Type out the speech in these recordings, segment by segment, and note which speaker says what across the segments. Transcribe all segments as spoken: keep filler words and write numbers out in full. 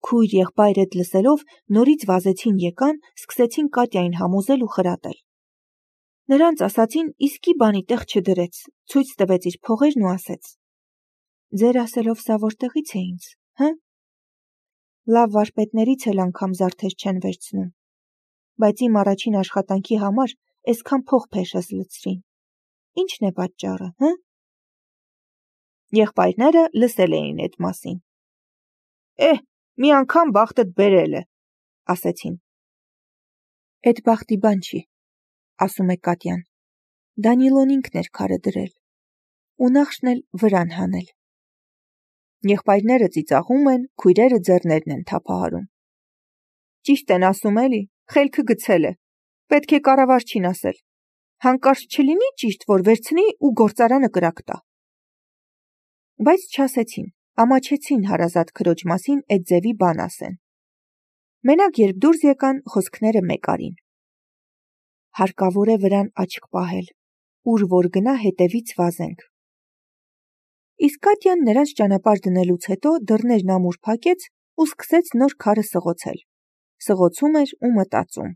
Speaker 1: Քույր եղբայր էդ լսելով նորից վազեցին եկան, սկսեցին Կատյային համոզել ու խրատել։ Նրանց ասացին իսկի բանի տեղ չդրեց, ցույց տվեց իր փողերն ու ասեց. «Ձեր ասելով սա որտեղից է ինձ, հը»։ Լավ վարպետներից էլ անգամ զարդեր չեն վերցնում, բայց իմ առաջին աշխատանքի համար այսքան փող փեշս լցրին։ Ինչն է պատճառը, հը։ Եղբայրները լսել էին այդ մասին։ Էհ, մի անգամ բախտդ բերել է, ասեցին։ Էդ բախտի բան չի, ասում է Կատյան։ Դանիլոն ինքն էր քարը դրել, ու նախշն էլ վրան հանել։ Եղբայրները ծիծաղում են, քույրերը ձեռներն են թափահարում։ Ճիշտ են ասում էլի, խելքը գցել է, պետք է կառավարչին ասել, հանկարծ չլինի ճիշտ, որ վերցնի ու գործարանը կրակ տա։ Բայց չասեցին, ամաչեցին հարազատ քրոջ մասին այդ ձևի բան ասեն։ Մենակ երբ դուրս եկան, խոսքները մեկ արին։ Հարկավոր է վրան աչք պահել, ուր որ գնա հետևից վազենք։ Իսկ Կատյան նրանց ճանապարհ դնելուց հետո դռներն ամուր փակեց ու սկսեց նոր քարը սղոցել։ Սղոցում էր ու մտածում.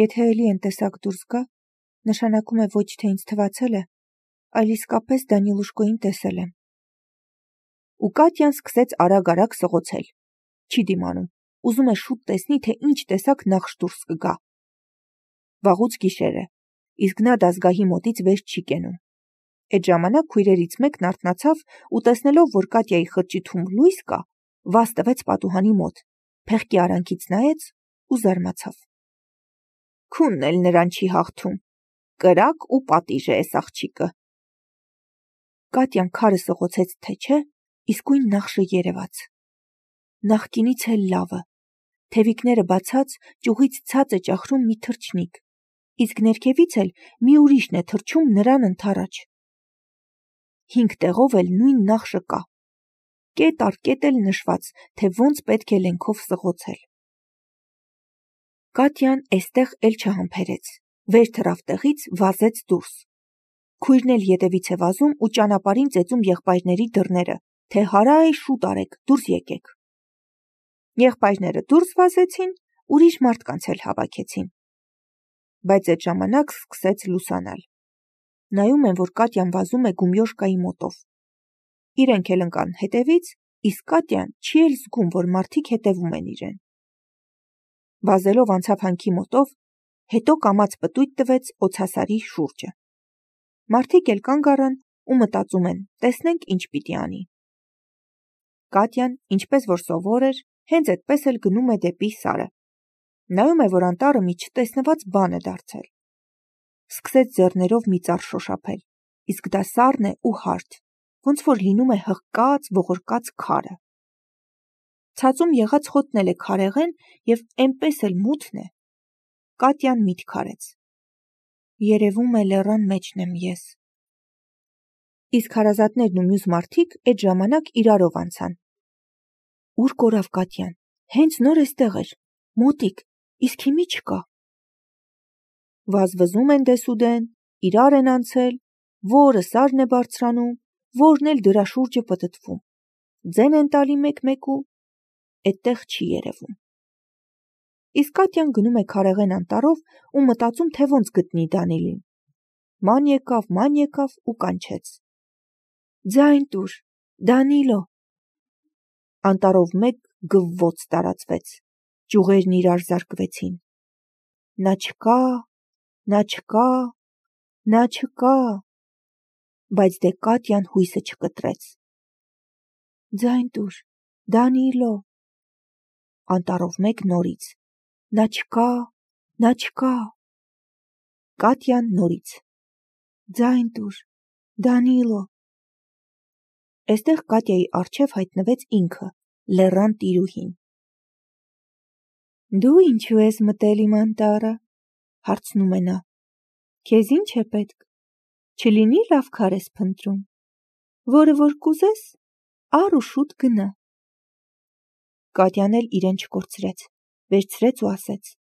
Speaker 1: Եթե էլի են տեսակ դուրս գա, նշանակում է ոչ թե ինձ թվացել է, այլ իսկապես Դանիլուշկոին տեսել եմ։ Ու Կատյան սկսեց արագ-արագ սղոցել։ Չի դիմանում, ուզում է շուտ տեսնի, թե ինչ տեսակ նախշ դուրս կգա։ Վաղուց գիշեր է, իսկ նա դազգահի մոտից վեր չի կենում։ Այդ ժամանակ քույրերից մեկն արթնացավ ու տեսնելով, որ Կատյայի խրճիթում լույս կա, վազ տվեց պատուհանի մոտ, փեղկի արանքից նայեց ու զարմացավ։ Քունն էլ նրան չի հաղթում, կրակ ու պատիժ է էս աղջիկը։ Կատյան քարը սղոցեց, թե չէ, իսկույն նախշը երևաց։ Նախկինից էլ լավը, թևիկները բացած, ճյուղից ցած է ճախրում մի թռչնիկ, իսկ ներքևից էլ մի ուրիշն է թռչում նրան ընդառաջ։ Հինգ տեղով էլ նույն նախշը կա, կետ առ կետ էլ նշված, թե ոնց պետք է լենքով սղոցել։ Կատյան էստեղ էլ չհամբերեց, վեր թռավ տեղից, վազեց դուրս։ Քույրն էլ ետևից է վազում ու ճանապարհին ծեծում եղբայրների դռները, թե հարայ շուտ արեք, դուրս եկեք։ Եղբայրները դուրս վազեցին, ուրիշ մարդկանց էլ հավաքեցին։ Բայց այդ ժամանակ սկսեց լուսանալ։ Նայում են, որ Կատյան վազում է գումյոշկայի մոտով։ Իրենք էլ ընկան հետևից, իսկ Կատյան չի էլ զգում, որ մարդիկ հետևում են իրեն։ Վազելով անցավ հանքի մոտով, հետո կամաց պտույտ տվեց օձասարի շուրջը։ Մարդիկ էլ կանգ առան ու մտածում են, տեսնենք ինչ պիտի անի։ Կատյան, ինչպես որ սովոր էր, հենց այդպես էլ գնում է դեպի սարը։ Նայում է, որ անտառը մի չտեսնված բան է դարձել։ Սկսեց ձեռներով մի ծառ շոշափել, իսկ դա սառն է ու հարթ, ոնց որ լինում է հղկած, ողորկած քարը։ Ցածում եղած խոտն էլ է քարեղեն և էնպես էլ մութն է։ Կատյան միտք արեց. երևում է լեռան մեջն եմ ես։ Իսկ հարազատներն ու մյուս մարդիկ այդ ժամանակ իրարով անցան։ Ուր կորավ Կատյան, հենց նոր էստեղ էր, մոտիկ, իսկ հիմի չկա։ Վազվզում են դեսուդեն, իրար են անցել, որը սարն է բարձրանում, որն էլ դրա շուրջը պտտվում, ձեն են տալի մեկ-մեկու, այդտեղ չի երևում։ Իսկ Կատյան գնում է քարեղեն անտառով ու մտածում, թե ոնց գտնի Դանիլին։ Ման եկավ, ման եկավ ու կանչեց. Ձայն տուր, Դանիլո։ Անտառով մեկ գվվոց տարածվեց, ճյուղերն իրար զարկվեցին։ Նա չկա, նա չկա, նա չկա, բայց դե Կատյան հույսը չկտրեց։ Ձայն տուր, Դանիլո։ Անտառով մեկ նորից. նա չկա, նա չկա։ Կատյան նորից. ձայն տուր, Դանիլո։ Էստեղ Կատյայի առջև հայտնվեց ինքը, լեռան տիրուհին։ Դու ինչու ես մտել իմ անտառը, հարցնում է նա։ Քեզ ինչ է պետք, չլինի լավ քար ես փնտրում, որը որ կուզես, առ ու շուտ գնա։ Կատյան էլ իրեն չկորցրեց, վերցրեց ու ասեց.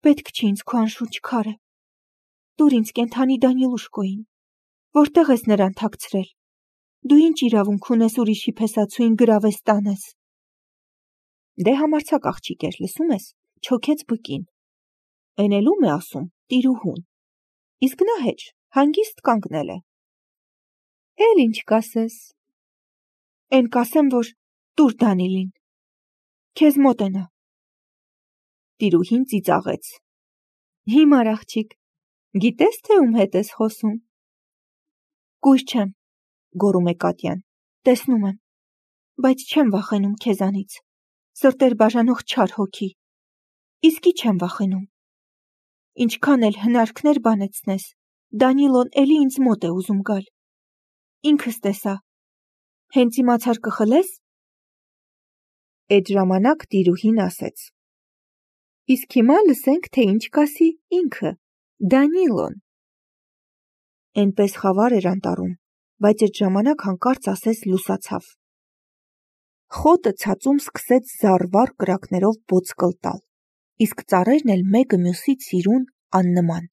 Speaker 1: Պետք չի ինձ քո անշունչ քարը, տուր ինձ կենդանի Դանիլուշկոին, որտեղ ես նրան թաքցրել, դու ինչ իրավունք ունես ուրիշի փեսացուին գրավես տանես։ Դե համարցակ աղջիկ էր, լսում ես, չոքեց բկին։ Էնելում է ասում, տիրուհուն։ Իսկ նա հեչ, հանգիստ կանգնել է։ Էլ ինչ կասես։ Էն կասեմ, որ տուր Դանիլին։ Քեզ մոտենա։ Տիրուհին ծիծաղեց։ Հիմար աղջիկ, գիտես թե ում հետ ես խոսում։ Կույր չեմ, գոռում է Կատյան, տեսնում եմ, բայց չեմ վախենում քեզանից, սրտեր բաժանող չար հոգի, իսկի չեմ վախենում։ Ինչքան էլ հնարքներ բանեցնես, Դանիլոն էլի ինձ մոտ է ուզում գալ։ Ինքս տեսա, հենց իմացար կխլես։ Էդ ժամանակ տիրուհին ասեց. Իսկ հիմա լսենք, թե ինչ կասի ինքը, Դանիլոն։ Էնպես խավար էր անտառում, բայց այդ ժամանակ հանկարծ ասես լուսացավ։ Խոտը ցածում սկսեց զառվար կրակներով ոսկլ տալ, իսկ ծառերն էլ մեկը մյուսից սիրուն աննման։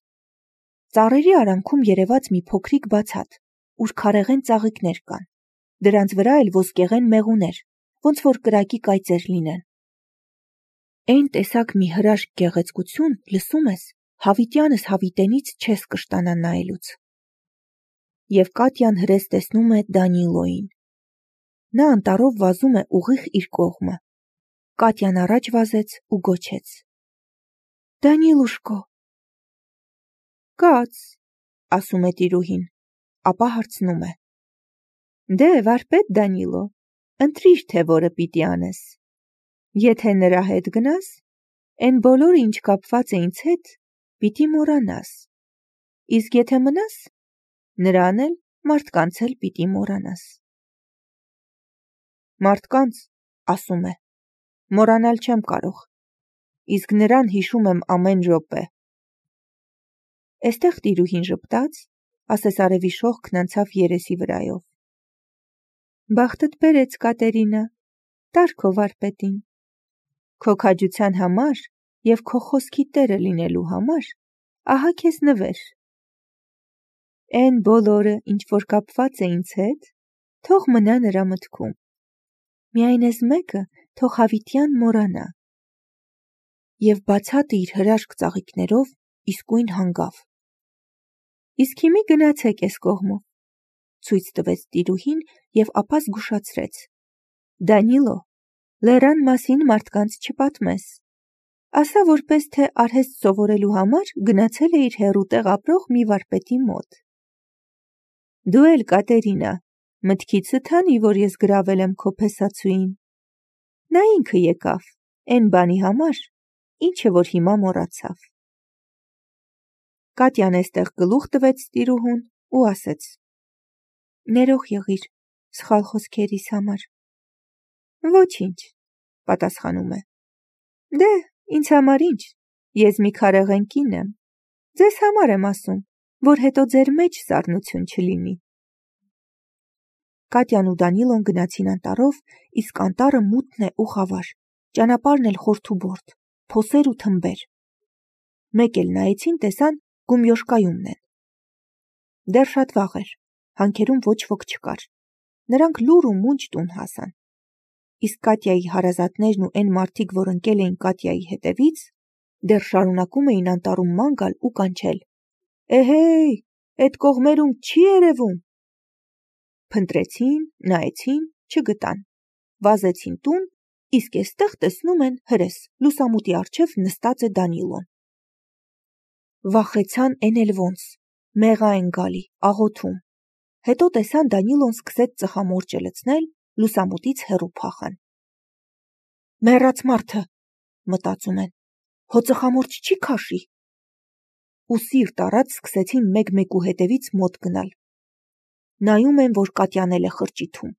Speaker 1: Ծառերի արանքում երևաց մի փոքրիկ բացատ, ուր քարեղեն ծաղիկներ կան, դրանց վրա էլ ոսկեղեն մեղուներ, ոնց որ կրակի կայծեր լինեն։ Այն տեսակ մի հրաշք գեղեցկություն, լսում ես, հավիտյանս հավիտենից չես կշտանա նայելուց։ Եվ Կատյան հրես տեսնում է Դանիլոյին։ Նա անտառով վազում է ուղիղ իր կողմը։ Կատյան առաջ վազեց ու գոչեց. Դանիլուշկո։ Կաց, ասում է տիրուհին, ապա հարցնում է. Դե վարպետ Դանիլո, ընտրիր թե որը պիտի անես։ Եթե նրա հետ գնաս, այն բոլորը ինչ կապված է ինձ հետ, պիտի մոռանաս։ Իսկ եթե մնաս, նրան էլ մարդկանց էլ պիտի մոռանաս։ Մարդկանց, ասում է, մոռանալ չեմ կարող, իսկ նրան հիշում եմ ամեն րոպե։ Էստեղ տիրուհին ժպտաց, ասես արևի շողքն անցավ երեսի վրայով։ Բախտդ բերեց, Կատերինա, տար քո վարպետին։ Քո քաջության համար և քո խոսքի տերը լինելու համար, ահա քեզ նվեր։ Էն բոլորը, ինչ որ կապված է ինձ հետ, թող մնա նրա մտքում։ Միայն էս մեկը թող հավիտյան մոռանա։ Եվ բացատը իր հրաշք ծաղիկներով իսկույն հանգավ։ Իսկ հիմի գնացեք էս կողմով, ցույց տվեց տիրուհին և ապա զգուշացրեց. Դանիլո, լեռան մասին մարդկանց չպատմես։ Ասա որպես թե արհեստ սովորելու համար գնացել է իր հեռու տեղ ապրող մի վարպետի մոտ։ Դու էլ, Կատերինա, մտքիցդ հանի, որ ես գրավել եմ քո փեսացուին։ Նա ինքը եկավ, էն բանի համար, ինչը որ հիմա մոռացավ։ Կատյան էստեղ գլուխ տվեց տիրուհուն ու ասեց. Ներող եղիր սխալ խոսքերիս համար։ Ոչինչ, պատասխանում է։ Դե, ինձ համար ինչ, ես մի քարեղեն կին եմ։ Ձեզ համար եմ ասում, որ հետո ձեր մեջ սառնություն չլինի։ Կատյան ու Դանիլոն գնացին անտառով, իսկ անտառը մութն է ու խավար, ճանապարհն էլ խորթուբորդ, փոսեր ու թմբեր։ Մեկ էլ նայեցին, տեսան Գումյոշկայումն են։ Դեռ շատ վաղ էր, հանքերում ոչ ոք չկար։ Նրանք լուռ ու մունջ տուն հասան։ Իսկ Կատյայի հարազատներն ու այն մարդիկ, որ ընկել էին Կատյայի հետևից, դեռ շարունակում էին անտառում ման գալ ու կանչել. Էհեյ, էդ կողմերում չի երևում։ Փնտրեցին, նայեցին, չգտան։ Վազեցին տուն, իսկ էստեղ տեսնում են հրես, լուսամուտի առջև նստած է Դանիլոն։ Վախեցան էն էլ ոնց, մեղա են գալի, աղոթում։ Հետո տեսան Դանիլոն սկսեց ծխամորճը լցնել, լուսամուտից հեռու փախան։ Մեռած մարդը, մտածում են, հո ծխամորճ չի քաշի։ Ու սիրտ առած սկսեցին մեկ-մեկու հետևից մոտ գնալ։ Նայում են, որ Կատյան էլ է խրճիթում,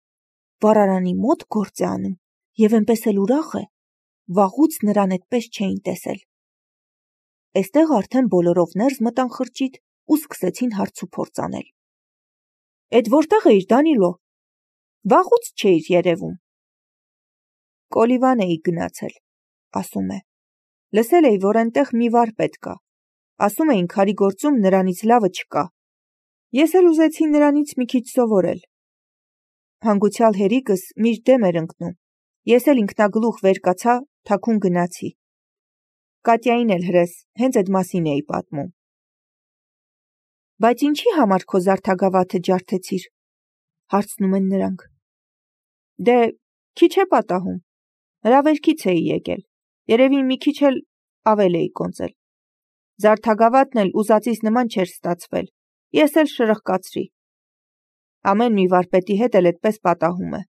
Speaker 1: վառարանի մոտ գործ է անում, և այնպես էլ ուրախ է, վաղուց նրան այդպես չէին տեսել։ Էստեղ արդեն բոլորով ներս մտան խրճիթ ու սկսեցին հարց ու փորձ անել։ Էդ որտեղ էիր, Դանիլո, վաղուց չէիր երևում։ Կոլիվան էի գնացել, ասում է։ Լսել էի, որ այնտեղ մի վարպետ կա, ասում էին քարի գործում նրանից լավը չկա։ Ես էլ ուզեցի նրանից մի քիչ սովորել։ Հանգուցյալ հերիկս միշտ դեմ էր ընկնում, Ես էլ ինքնագլուխ վեր կացա, թաքուն գնացի։ Կատյային էլ հրես, հենց այդ մասին էի պատմում։ Բայց ինչի համար քո զարդագավաթը ջարդեցիր, հարցնում են նրանք։ Դե, քիչ է պատահում, հրավերքից էի եկել, երևի մի քիչ էլ ավել էի կոնծել։ Զարդագավաթն էլ ուզածիս նման չէր ստացվել, ես էլ շրխկացրի։ Ամեն մի վարպետի հետ էլ այդպես պատահում է,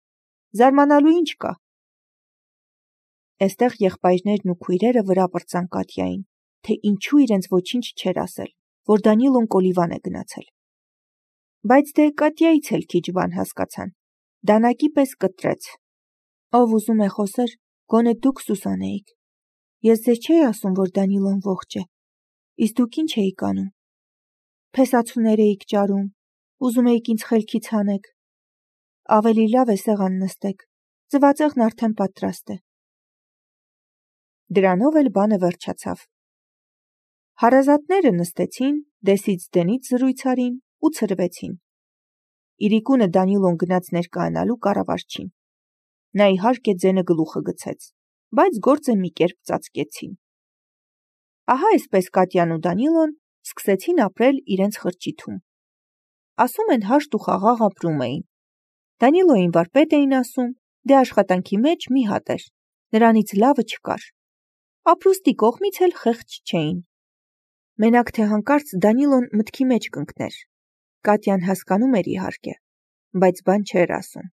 Speaker 1: զարմանալու ինչ կա։ Էստեղ եղբայրներն ու քույրերը վրա պրծան Կատյային, թե ինչու իրենց ոչինչ չէր ասել, որ Դանիլոն կոլիվան է գնացել։ Բայց դե Կատյայից էլ քիչ բան հասկացան, դանակի պես կտրեց։ Ով ուզում է խոսեր, գոնե դուք Սուսանեիք։ Ես ձեզ չէի ասում, որ Դանիլոն ողջ է, իսկ դուք ինչ էիք անում։ Փեսացուներ էիք ճարում, ուզում էիք ինձ խելքից հանեք։ Ավելի լավ է սեղան նստեք, ձվածեղն արդեն պատրաստ է։ Դրանով էլ բանը վերջացավ։ Հարազատները նստեցին, դեսից դենից զրույց արին ու ցրվեցին։ Իրիկունը Դանիլոն գնաց ներկայանալու կառավարչին։ Նա իհարկե ձենը գլուխը գցեց, բայց գործը մի կերպ ծածկեցին։ Ահա այսպես Կատյան ու Դանիլոն սկսեցին ապրել իրենց խրճիթում։ Ասում են հաշտ ու խաղաղ ապրում էին։ Դանիլոյին վարպետ էին ասում, դե աշխատանքի մեջ մի հատ էր, նրանից լավը չկար։ Ապրուստի կողմից էլ խեղճ չէին։ Մենակ թե հանկարծ Դանիլոն մտքի մեջ կընկներ։ Կատյան հասկանում էր իհարկե, բայց բան չէր ասում։